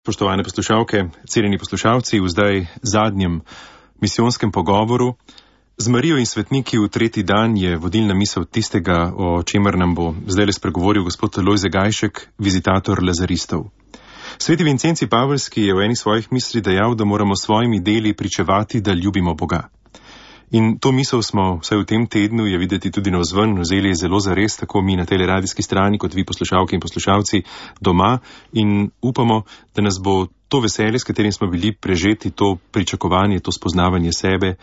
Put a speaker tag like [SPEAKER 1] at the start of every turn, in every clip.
[SPEAKER 1] Spoštovane poslušalke, cenjeni poslušalci, v zdaj zadnjem misijonskem pogovoru z Marijo in svetniki v tretji dan je vodilna misel tistega, o čemer nam bo zdaj spregovoril gospod Lojze Gajšek, vizitator lazaristov. Sveti Vincenci Paveljski je v eni svojih misli dejal, da moramo s svojimi deli pričevati, da ljubimo Boga. In to misel smo, vsaj v tem tednu, je videti tudi navzven, vzeli zelo zares, tako mi na tej radijski strani, kot vi poslušalke in poslušalci doma, in upamo, da nas bo to veselje, s katerim smo bili prežeti, to pričakovanje, to spoznavanje sebe,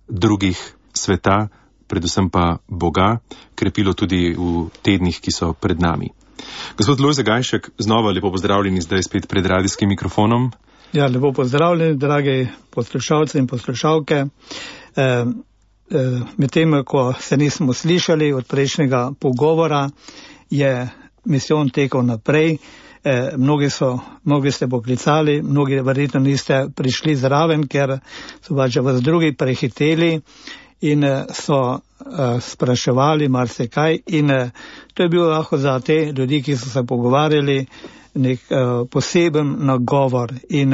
[SPEAKER 1] drugih, sveta, predvsem pa Boga, krepilo tudi v tednih, ki so pred nami. Gospod Lojze Gajšek, znova lepo pozdravljeni zdaj spet pred radijskim mikrofonom.
[SPEAKER 2] Ja, lepo pozdravljeni, dragi poslušalci in poslušalke. Medtem, ko se nismo slišali od prejšnjega pogovora, je misijon tekel naprej. Mnogi ste poklicali, mnogi verjetno niste prišli zraven, ker so pač vas drugi prehiteli in so spraševali marsikaj. In to je bil lahko za te ljudi, ki so se pogovarjali, nek poseben nagovor in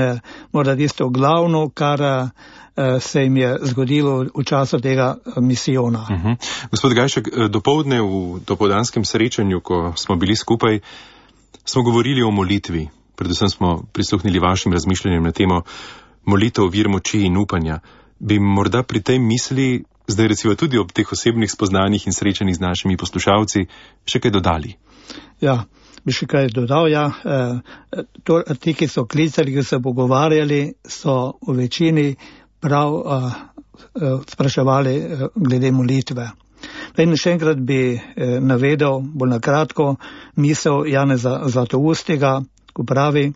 [SPEAKER 2] morda tisto glavno, kar se jim je zgodilo v času tega misijona.
[SPEAKER 1] Gospod Gajšek, dopoldne v dopoldanskem srečanju, ko smo bili skupaj, smo govorili o molitvi. Predvsem smo prisluhnili vašim razmišljanjem na temo molitev, vir moči in upanja. Bi morda pri tej misli, zdaj recimo tudi ob teh osebnih spoznanjih in srečanjih z našimi poslušalci, še kaj dodali?
[SPEAKER 2] Ja, bi še kaj dodal, ja. Ti, ki so klicali, ki so pogovarjali, so v večini prav spraševali glede molitve. In še enkrat bi navedel, bolj na kratko, misel Janeza Zlatoustega, ko pravi: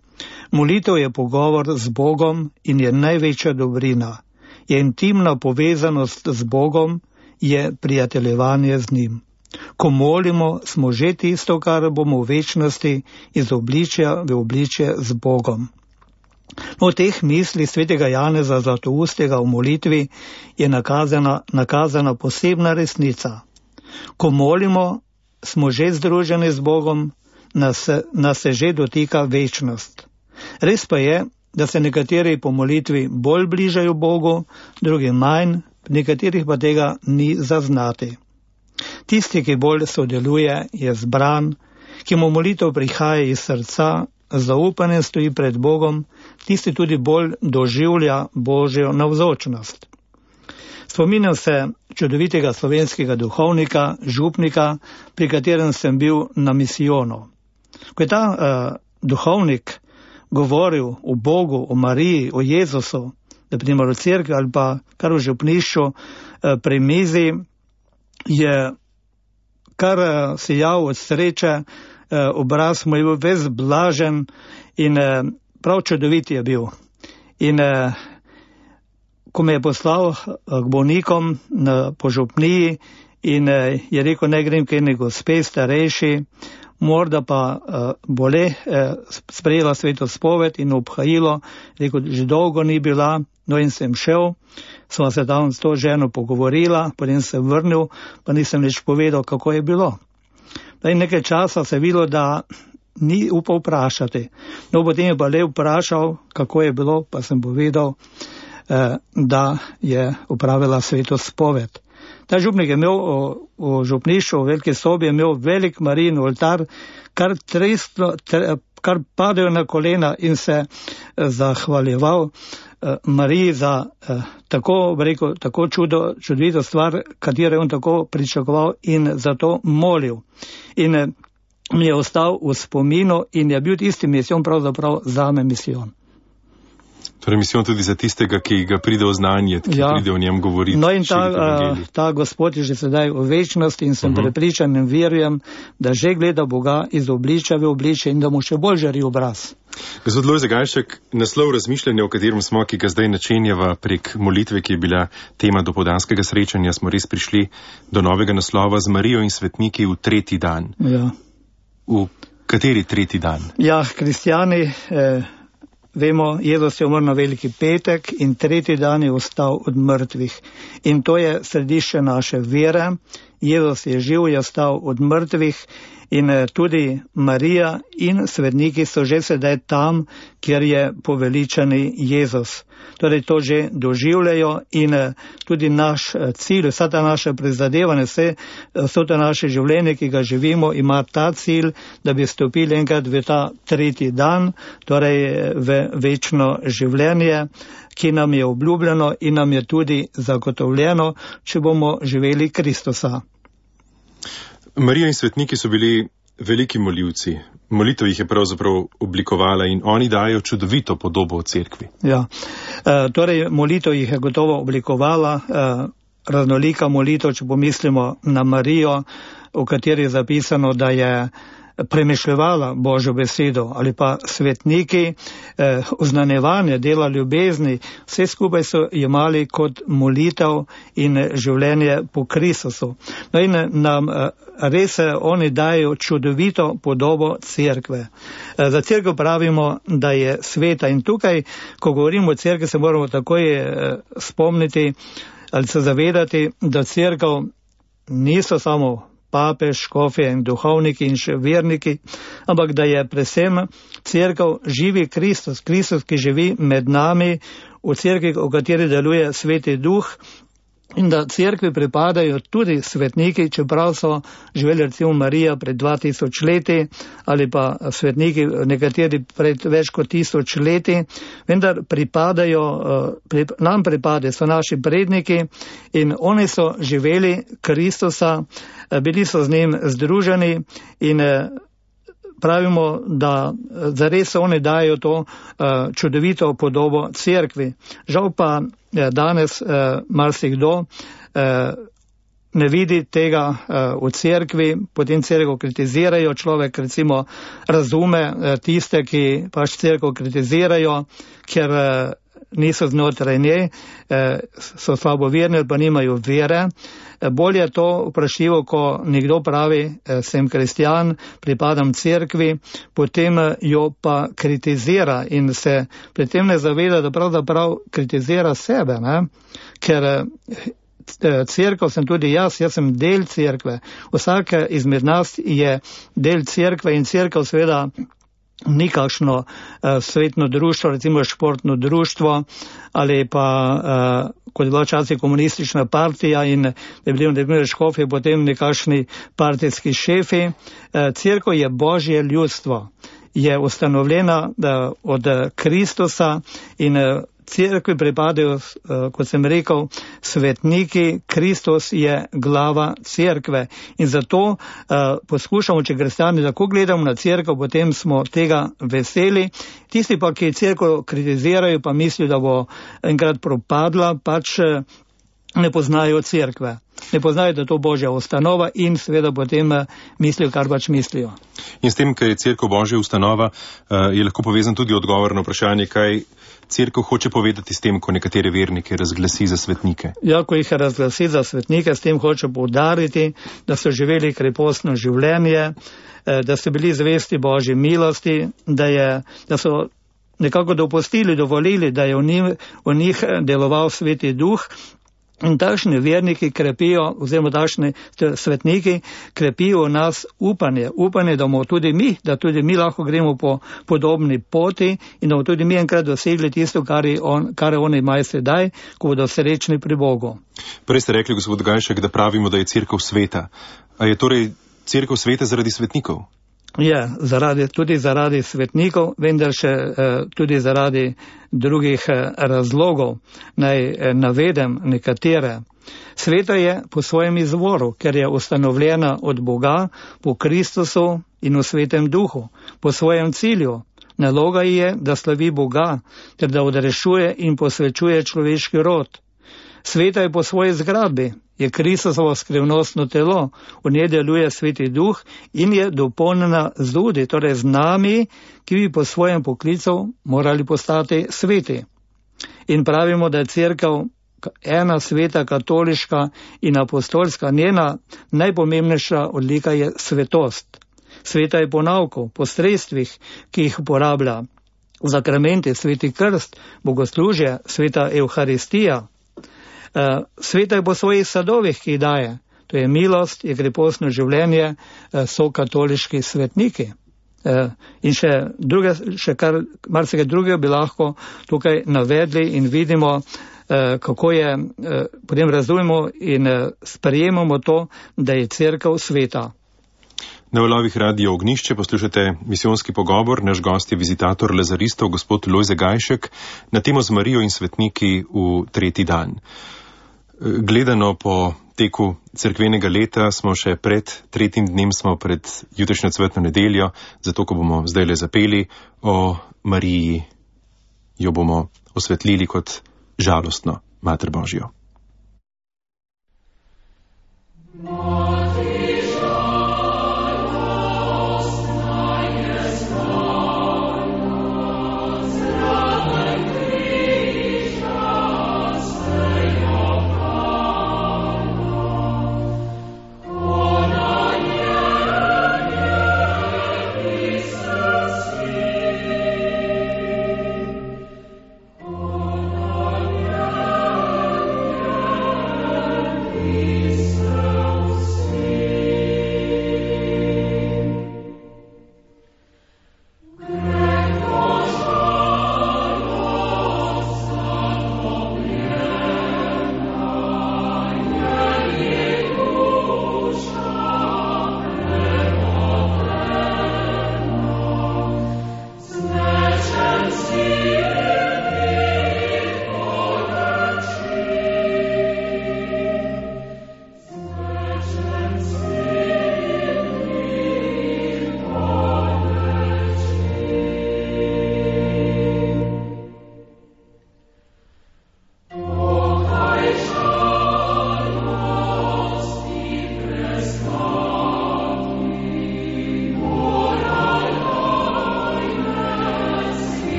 [SPEAKER 2] molitev je pogovor z Bogom in je največja dobrina. Je intimna povezanost z Bogom, je prijateljevanje z njim. Ko molimo, smo že tisto, kar bomo v večnosti iz obličja v obličje z Bogom. V teh mislih svetega Janeza Zlatoustega v molitvi je nakazana posebna resnica. Ko molimo, smo že združeni z Bogom, nas se že dotika večnost. Res pa je, da se nekateri po molitvi bolj bližajo Bogu, drugi manj, nekaterih pa tega ni zaznati. Tisti, ki bolj sodeluje, je zbran, ki mu molitev prihaja iz srca, zaupanje stoji pred Bogom, tisti tudi bolj doživlja Božjo navzočnost. Spominjam se čudovitega slovenskega duhovnika, župnika, pri katerem sem bil na misijonu. Ko je ta duhovnik govoril o Bogu, o Mariji, o Jezusu, da primer v cerkvi ali pa kar v župnišču pri mizi, je kar sijal od sreče, obraz mu je bil ves blažen in prav čudovit je bil. In ko me je poslal k bolnikom po župniji in je rekel, ne grem k eni gospe starejši, morda pa bole sprejela sveto spoved in obhajilo, rekel, že dolgo ni bila, no in sem šel, sva se tam s to ženo pogovorila, potem sem vrnil, pa nisem nič povedal, kako je bilo. In nekaj časa se je videlo, da ni upal vprašati. No, potem je pa le vprašal, kako je bilo, pa sem povedal, da je opravila sveto spoved. Ta župnik je imel v župnišču, v veliki sobi, je imel velik Marijin oltar, kar padajo na kolena in se zahvaljeval Mariji za tako čudovito stvar, katero je on tako pričakoval in zato molil. In mi je ostal v spominu in je bil tisti misijon pravzaprav zame misijon.
[SPEAKER 1] Torej misijon tudi za tistega, ki ga pride v znanje, ki pride o njem govoriti.
[SPEAKER 2] No in ta Gospod je že sedaj v večnosti in sem prepričan in verujem, da že gleda Boga iz obličja v obličje in da mu še bolj žari obraz.
[SPEAKER 1] Gospod Lojze Gajšek, naslov razmišljanja, o katerem smo, ki ga zdaj načenjava prek molitve, ki je bila tema dopoldanskega srečanja, smo res prišli do novega naslova z Marijo in svetniki v tretji dan.
[SPEAKER 2] Ja.
[SPEAKER 1] V kateri tretji dan?
[SPEAKER 2] Ja, kristjani, vemo, Jezus je umrl na Veliki petek in tretji dan je vstal od mrtvih. In to je središče naše vere. Jezus je živ, je vstal od mrtvih In tudi Marija in svetniki so že sedaj tam, kjer je poveličani Jezus. Torej to že doživljajo in tudi naš cilj, vsa ta naša prizadevanja, vso to naše življenje, ki ga živimo, ima ta cilj, da bi stopili enkrat v ta tretji dan, torej v večno življenje, ki nam je obljubljeno in nam je tudi zagotovljeno, če bomo živeli Kristusa.
[SPEAKER 1] Marija in svetniki so bili veliki molivci. Molitev jih je pravzaprav oblikovala in oni dajo čudovito podobo o cerkvi.
[SPEAKER 2] Ja, torej molitev jih je gotovo oblikovala, raznolika molitev, če pomislimo na Marijo, v kateri je zapisano, da je premišljevala Božjo besedo, ali pa svetniki, oznanjevanje, dela ljubezni, vse skupaj so jemali kot molitev in življenje po Kristusu. No in nam res oni dajo čudovito podobo cerkve. Za cerkev pravimo, da je sveta in tukaj, ko govorimo o cerkvi, se moramo takoj spomniti ali se zavedati, da cerkev niso samo papež, škofje in duhovniki in še verniki, ampak da je predvsem cerkev živi Kristus, Kristus, ki živi med nami, v cerkvi, v kateri deluje Sveti Duh, in da cerkvi pripadajo tudi svetniki, čeprav so živeli recimo Marija pred 2000 leti ali pa svetniki nekateri pred več kot 1000 leti, vendar nam pripadajo, so naši predniki in oni so živeli Kristusa, bili so z njim združeni in pravimo, da zares oni dajo to čudovito podobo cerkvi. Žal pa danes marsikdo ne vidi tega v cerkvi, potem cerkev kritizirajo, človek recimo razume tiste, ki pač cerkev kritizirajo, ker niso znotraj nje, so slaboverni ali pa nimajo vere. Bolje je to vprašljivo, ko nekdo pravi, sem kristjan, pripadam cerkvi, potem jo pa kritizira in se pri tem ne zaveda, da pravzaprav kritizira sebe, ne? Ker cerkev sem tudi jaz sem del cerkve. Vsak izmed nas je del cerkve in cerkev seveda ni kakšno svetno društvo, recimo športno društvo ali pa kot je bila včasih komunistična partija in je bili nekaj škofi, potem nekakšni partijski šefi. Cerkev je Božje ljudstvo, je ustanovljena od Kristusa in cerkvi pripadajo, kot sem rekel, svetniki, Kristus je glava cerkve. In zato poskušamo, če kristjani tako gledamo na cerkev, potem smo tega veseli. Tisti pa, ki cerkev kritizirajo, pa mislijo, da bo enkrat propadla, pač ne poznajo cerkve. Ne poznajo, da je to Božja ustanova in seveda potem mislijo, kar pač mislijo.
[SPEAKER 1] In s tem, ker je cerkev Božja ustanova, je lahko povezan tudi odgovor na vprašanje, kaj cerkev hoče povedati s tem, ko nekatere vernike razglasi za svetnike.
[SPEAKER 2] Ja, ko jih razglasi za svetnike, s tem hoče poudariti, da so živeli krepostno življenje, da so bili zvesti Božji milosti, da so nekako dopustili, dovolili, da je v njih deloval Sveti Duh. In takšni verniki krepijo, oziroma takšni svetniki krepijo v nas upanje, da bomo tudi mi lahko gremo po podobni poti in da bomo tudi mi enkrat dosegli tisto, kar oni imajo sedaj, ko bodo srečni pri Bogu.
[SPEAKER 1] Prej ste rekli, gospod Gajšek, da pravimo, da je cerkev sveta. A je torej cerkev sveta zaradi svetnikov?
[SPEAKER 2] Je, tudi zaradi svetnikov, vendar še tudi zaradi drugih razlogov. Naj navedem nekatere. Sveta je po svojem izvoru, ker je ustanovljena od Boga, po Kristusu in v Svetem Duhu, po svojem cilju. Naloga je, da slavi Boga, ter da odrešuje in posvečuje človeški rod. Sveta je po svoji zgradbi, je Kristusovo skrivnostno telo, v njej deluje Sveti Duh in je dopolnjena z ljudmi, torej z nami, ki bi po svojem poklicu morali postati sveti. In pravimo, da je cerkev ena sveta, katoliška in apostolska, njena najpomembnejša odlika je svetost. Sveta je po nauku, po sredstvih, ki jih uporablja, zakramenti, sveti krst, bogoslužje, sveta Evharistija. Sveta je po svojih sadovih, ki jih daje, to je milost, je krepostno življenje, so katoliški svetniki. In še kar marsikaj drugega bi lahko tukaj navedli in vidimo, kako je, potem razumemo in sprejemamo to, da je cerkev sveta.
[SPEAKER 1] Na valovih Radio Ognjišče poslušate misijonski pogovor. Naš gost je vizitator lazaristov, gospod Lojze Gajšek, na temo z Marijo in svetniki v tretji dan. Gledano po teku cerkvenega leta smo še pred tretjim dnem, smo pred jutrišnjo cvetno nedeljo, zato ko bomo zdajle zapeli o Mariji, jo bomo osvetlili kot žalostno Mater Božjo.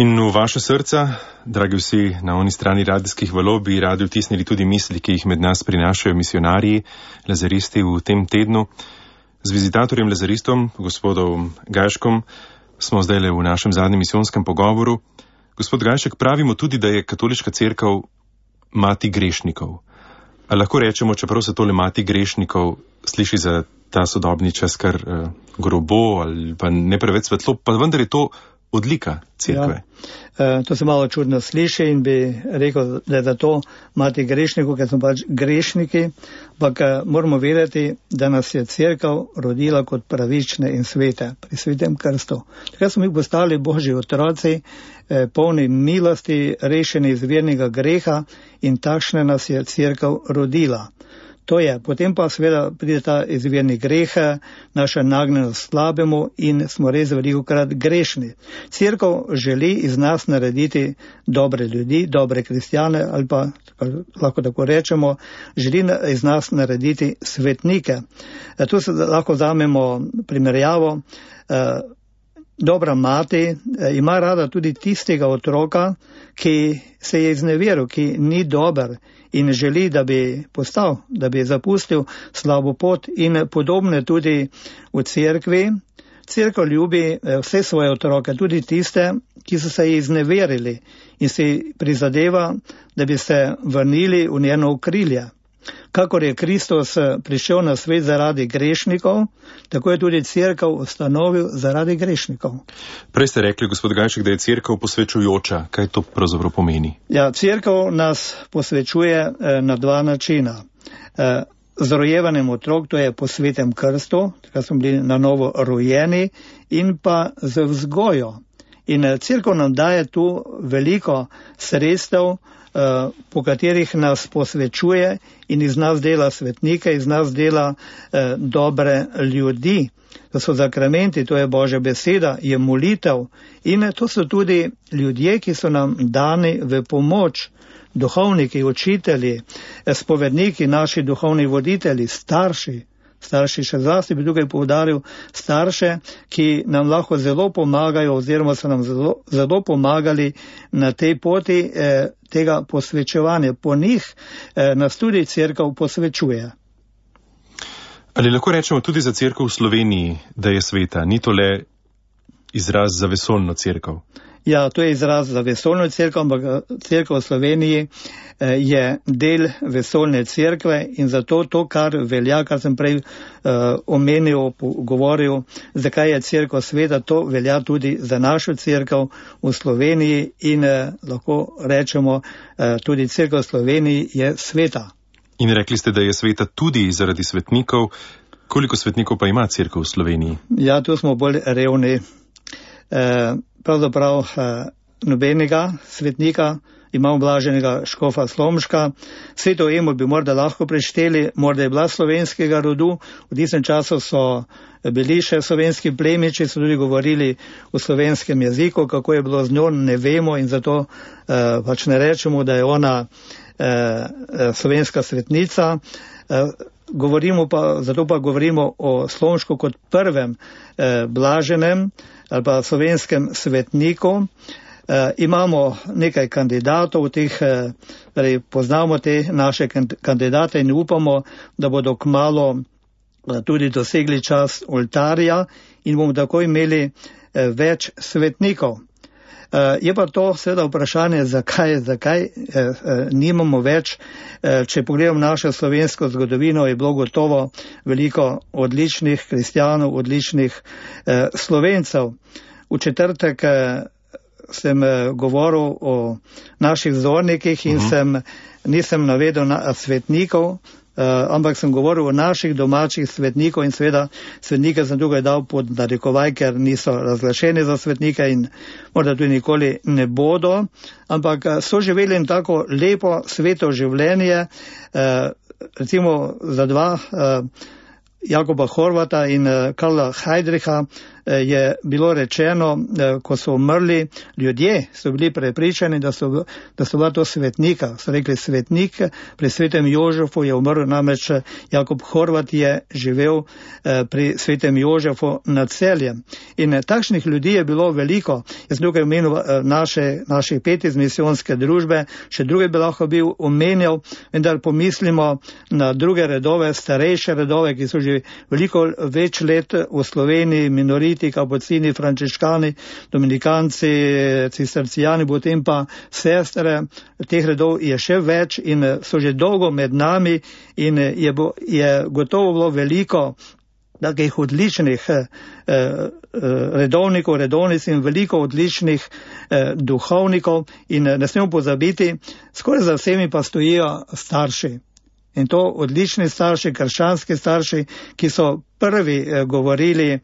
[SPEAKER 1] In v vaše srca, dragi vsi na oni strani radijskih valov, bi radi vtisnili tudi misli, ki jih med nas prinašajo misionarji, lazaristi v tem tednu. Z vizitatorjem lazaristom, gospodom Gajškom, smo zdajle v našem zadnjem misijonskem pogovoru. Gospod Gajšek, pravimo tudi, da je katoliška cerkev mati grešnikov. A lahko rečemo, čeprav se tole mati grešnikov sliši za ta sodobni čas kar grobo ali pa ne preveč svetlo, pa vendar je to odlika cerkve.
[SPEAKER 2] Ja, to se malo čudno sliši in bi rekel, da je za to mati grešnikov, ker smo pač grešniki, ampak moramo vedeti, da nas je cerkev rodila kot pravične in svete pri svetem krstu. Takrat smo mi postali Božji otroci, polni milosti, rešeni iz vernega greha in takšne nas je cerkev rodila. To je, potem pa seveda pride ta izvirni greh, naša nagnjenost slabemu in smo res velikokrat grešni. Cerkev želi iz nas narediti dobre ljudi, dobre kristjane ali pa, lahko tako rečemo, želi iz nas narediti svetnike. Tu se lahko vzamemo primerjavo. Dobra mati ima rada tudi tistega otroka, ki se je izneveril, ki ni dober in želi, da bi postal, da bi zapustil slabo pot in podobne tudi v cerkvi. Cerkev ljubi vse svoje otroke, tudi tiste, ki so se izneverili in si prizadeva, da bi se vrnili v njeno okrilje. Kakor je Kristus prišel na svet zaradi grešnikov, tako je tudi cerkev ustanovil zaradi grešnikov.
[SPEAKER 1] Prej ste rekli, gospod Gajšek, da je cerkev posvečujoča. Kaj to pravzaprav pomeni?
[SPEAKER 2] Ja, cerkev nas posvečuje na dva načina. Z rojevanjem otrok, to je po svetem krstu, takrat smo bili na novo rojeni, in pa z vzgojo. In cerkev nam daje tu veliko sredstev, po katerih nas posvečuje in iz nas dela svetnike, iz nas dela dobre ljudi. To so zakramenti, to je Božja beseda, je molitev in to so tudi ljudje, ki so nam dani v pomoč. Duhovniki, učitelji, spovedniki, naši duhovni voditelji, starši še zlasti bi tukaj poudaril starše, ki nam lahko zelo pomagajo oziroma so nam zelo pomagali na tej poti tega posvečevanja. Po njih nas tudi cerkev posvečuje.
[SPEAKER 1] Ali lahko rečemo tudi za cerkev v Sloveniji, da je sveta? Ni to le izraz za vesoljno cerkev?
[SPEAKER 2] Ja, to je izraz za vesoljno cerkev, ampak cerkev v Sloveniji je del vesoljne cerkve in zato to, kar velja, kar sem prej omenil, govoril, zakaj je cerkev sveta, to velja tudi za našo cerkev v Sloveniji in lahko rečemo, tudi cerkev v Sloveniji je sveta.
[SPEAKER 1] In rekli ste, da je sveta tudi zaradi svetnikov. Koliko svetnikov pa ima cerkev v Sloveniji?
[SPEAKER 2] Ja, tu smo bolj revni. Pravzaprav nobenega svetnika, imamo blaženega škofa Slomška. Sveto Emo bi morda lahko prešteli, morda je bila slovenskega rodu, v tistem času so bili še slovenski plemiči, so tudi govorili v slovenskem jeziku, kako je bilo z njo, ne vemo in zato pač ne rečemo, da je ona slovenska svetnica. Zato pa govorimo o Slomšku kot prvem blaženem ali pa slovenskem svetniku. Imamo nekaj kandidatov, poznamo te naše kandidate in upamo, da bodo kmalu tudi dosegli čas oltarja in bomo tako imeli več svetnikov. Je pa to seveda vprašanje, zakaj nimamo več. Če pogledam našo slovensko zgodovino, je bilo gotovo veliko odličnih kristjanov, odličnih Slovencev. V četrtek sem govoril o naših vzornikih in nisem navedel svetnikov, ampak sem govoril o naših domačih svetnikov in seveda svetnike sem tukaj dal pod narekovaj, ker niso razglašeni za svetnike in morda tudi nikoli ne bodo, ampak so živeli in tako lepo sveto življenje, recimo za dva, Jakoba Horvata in Karla Heidricha je bilo rečeno, ko so umrli, ljudje so bili prepričani, da so bila to svetnika. So rekli svetnik, pri svetem Jožefu je umrl, namreč Jakob Horvat je živel pri svetem Jožefu nad Celjem. In takšnih ljudi je bilo veliko. Jaz sem tukaj omenil naše 5 iz misijonske družbe, še druge bi lahko bil omenjal, vendar pomislimo na druge redove, starejše redove, ki so že veliko več let v Sloveniji, minoriti, kapucini, frančiškani, dominikanci, cistercijani, potem pa sestre. Teh redov je še več in so že dolgo med nami in je gotovo bilo veliko takih odličnih redovnikov, redovnic in veliko odličnih duhovnikov in ne smemo pozabiti, skoraj za vsemi pa stojijo starši. In to odlični starši, krščanski starši, ki so prvi govorili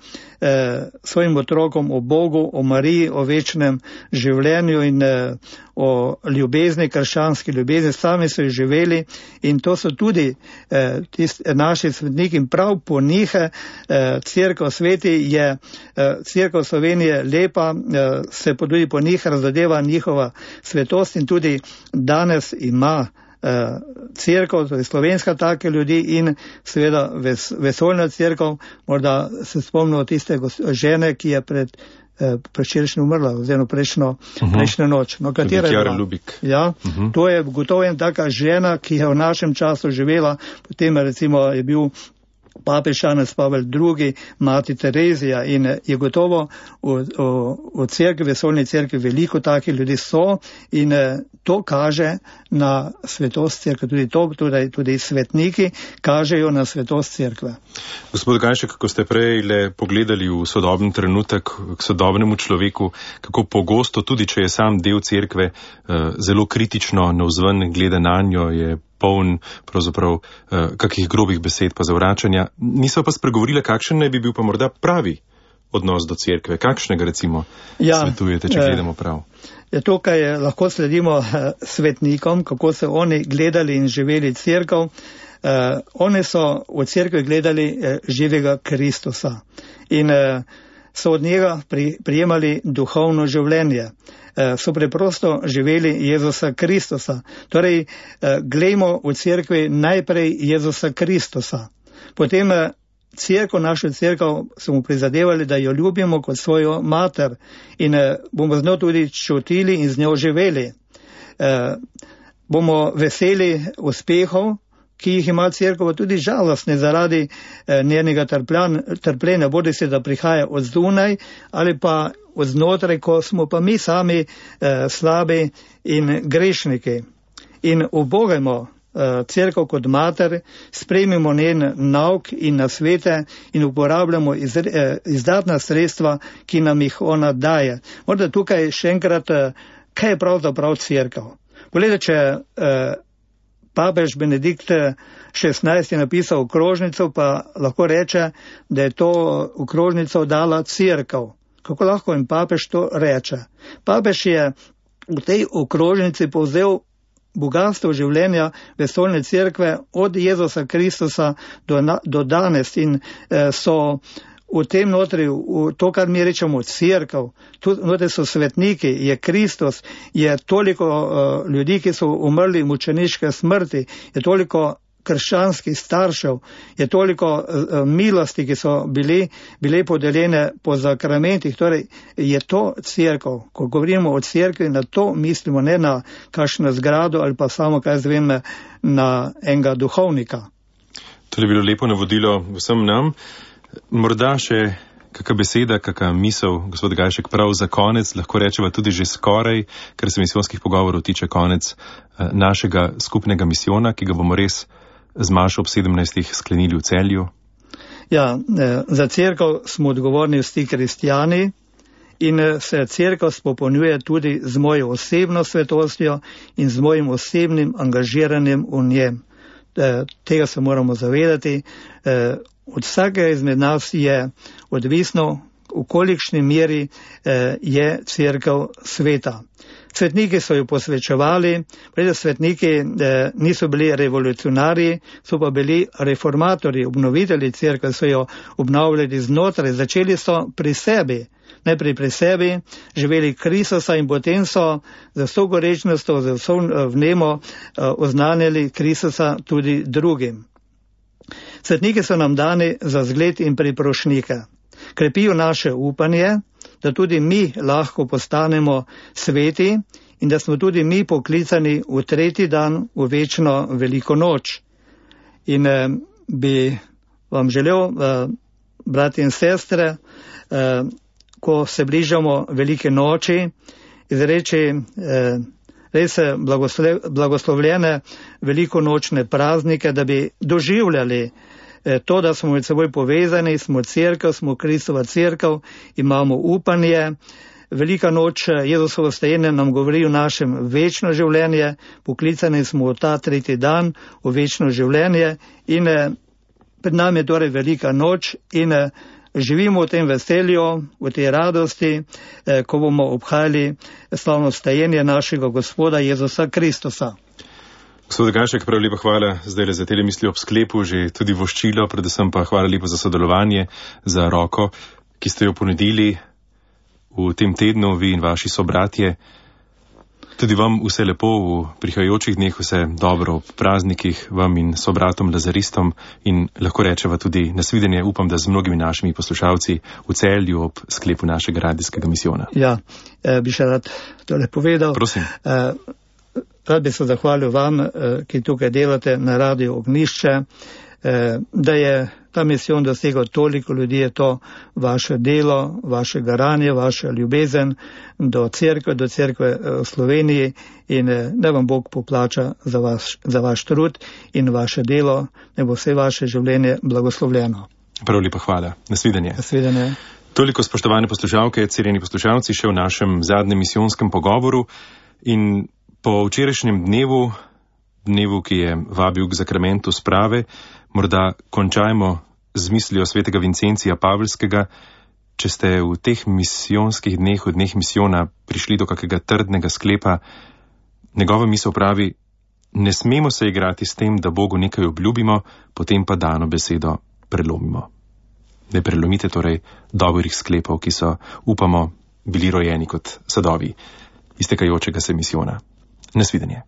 [SPEAKER 2] svojim otrokom o Bogu, o Mariji, o večnem življenju in o ljubezni, krščanski ljubezni, sami so jih živeli in to so tudi naši svetniki in prav po njih cerkev sveti je, cerkev Slovenije lepa, se tudi po njih razodeva njihova svetost in tudi danes ima cerkev, torej slovenska take ljudi in seveda vesoljna cerkev, morda se spomnimo tiste žene, ki je predvčerajšnjim umrla, oziroma prejšnjo noč. No, katera je bila? Ja, to je gotovo ena taka žena, ki je v našem času živela, potem recimo je bil papež Janez Pavel II, mati Terezija in je gotovo v cerkvi, vesoljni cerkvi veliko takih ljudi so in to kaže na svetost cerkve, tudi svetniki kažejo na svetost cerkve.
[SPEAKER 1] Gospod Gajšek, kako ste prej le pogledali v sodoben trenutek k sodobnemu človeku, kako pogosto, tudi če je sam del cerkve, zelo kritično navzven gleda nanjo, je poln pravzaprav kakih grobih besed pa zavračanja. Niso pa spregovorile, kakšen naj bi bil pa morda pravi odnos do cerkve, kakšnega recimo svetujete, če gledamo prav?
[SPEAKER 2] Tukaj lahko sledimo svetnikom, kako so oni gledali in živeli cerkev. Oni so v cerkvi gledali živega Kristusa in so od njega prijemali duhovno življenje. So preprosto živeli Jezusa Kristusa. Torej, glejmo v cerkvi najprej Jezusa Kristusa. Potem našo cerkev smo prizadevali, da jo ljubimo kot svojo mater in bomo z njo tudi čutili in z njo živeli. Bomo veseli uspehov, ki jih ima cerkev, tudi žalostne zaradi njenega trpljenja, bodi se da prihaja od zunaj ali pa od znotraj, ko smo pa mi sami slabi in grešniki. In ubogajmo cerkev kot mater, sprejmimo njen nauk in nasvete in uporabljamo izdatna sredstva, ki nam jih ona daje. Morda tukaj še enkrat, kaj je pravzaprav cerkev? Poglejte, če papež Benedikt XVI je napisal okrožnico, pa lahko reče, da je to okrožnico dala cerkev. Kako lahko en papež to reče? Papež je v tej okrožnici povzel bogatstvo življenja vesoljne cerkve od Jezusa Kristusa do danes in so v tem notri, to, kar mi rečemo cerkev, notri so svetniki, je Kristus, je toliko ljudi, ki so umrli mučeniške smrti, je toliko krščanskih staršev, je toliko milosti, ki so bile podeljene po zakramentih. Torej, je to cerkev. Ko govorimo o cerkvi, na to mislimo, ne na kakšno zgrado ali pa samo, kaj zvem, na enega duhovnika.
[SPEAKER 1] To je bilo lepo navodilo vsem nam. Morda še kakšna beseda, kakšna misel, gospod Gajšek, prav za konec, lahko rečeva tudi že skoraj, ker se misijonskih pogovorov tiče konec našega skupnega misijona, ki ga bomo res z Mašo ob 17. sklenili v Celju.
[SPEAKER 2] Ja, za cerkev smo odgovorni vsi kristjani in se cerkev spopolnjuje tudi z mojo osebno svetostjo in z mojim osebnim angažiranjem v njem. Tega se moramo zavedati. Od vsakega izmed nas je odvisno, v kolikšni meri je cerkev sveta. Svetniki so jo posvečevali, svetniki niso bili revolucionarji, so pa bili reformatorji, obnovitelji cerkve, so jo obnavljali znotraj, začeli so pri sebi, najprej pri sebi, živeli Kristusa in potem so za vso gorečnostjo, za vso vnemo oznanjali Kristusa tudi drugim. Svetniki so nam dani za zgled in priprošnike. Krepijo naše upanje, da tudi mi lahko postanemo sveti in da smo tudi mi poklicani v tretji dan, v večno veliko noč. In bi vam želel, brati in sestre, ko se bližamo velike noči, izreči res blagoslovljene velikonočne praznike, da bi doživljali to, da smo med seboj povezani, smo cerkev, smo Kristova cerkev, imamo upanje. Velika noč Jezusovo stajenje nam govori o našem večno življenje, poklicani smo v ta tretji dan, v večno življenje in pred nami je torej velika noč in živimo v tem veselju, v tej radosti, ko bomo obhajali slavno stajenje našega Gospoda Jezusa Kristusa.
[SPEAKER 1] Gospod Gajšek, prav lepa hvala zdaj za te misli ob sklepu, že tudi voščilo, predvsem pa hvala lepa za sodelovanje, za roko, ki ste jo ponudili v tem tednu, vi in vaši sobratje. Tudi vam vse lepo v prihajajočih dneh, vse dobro ob praznikih, vam in sobratom Lazaristom in lahko rečeva tudi nasvidenje, upam, da z mnogimi našimi poslušalci v Celju ob sklepu našega radijskega misijona. Ja,
[SPEAKER 2] bi še rad tole povedal.
[SPEAKER 1] Prosim.
[SPEAKER 2] Rad bi se zahvalil vam, ki tukaj delate na Radiu Ognjišče, da je ta misijon dosegel toliko ljudi, je to vaše delo, vaše garanje, vaša ljubezen do cerkve v Sloveniji in da vam Bog poplača za vaš trud in vaše delo, ne bo vse vaše življenje blagoslovljeno.
[SPEAKER 1] Prav lepa hvala. Nasvidenje.
[SPEAKER 2] Nasvidenje.
[SPEAKER 1] Toliko, spoštovane poslušalke, cenjeni poslušalci, še v našem zadnjem misijonskem pogovoru in po včerajšnjem dnevu, ki je vabil k zakramentu sprave, morda končajmo z mislijo svetega Vincencija Pavelskega. Če ste v teh misijonskih dneh, v dneh misijona, prišli do kakega trdnega sklepa, njegova misel pravi, ne smemo se igrati s tem, da Bogu nekaj obljubimo, potem pa dano besedo prelomimo. Ne prelomite torej dobrih sklepov, ki so, upamo, bili rojeni kot sadovi iztekajočega se misijona. Nasvidenje.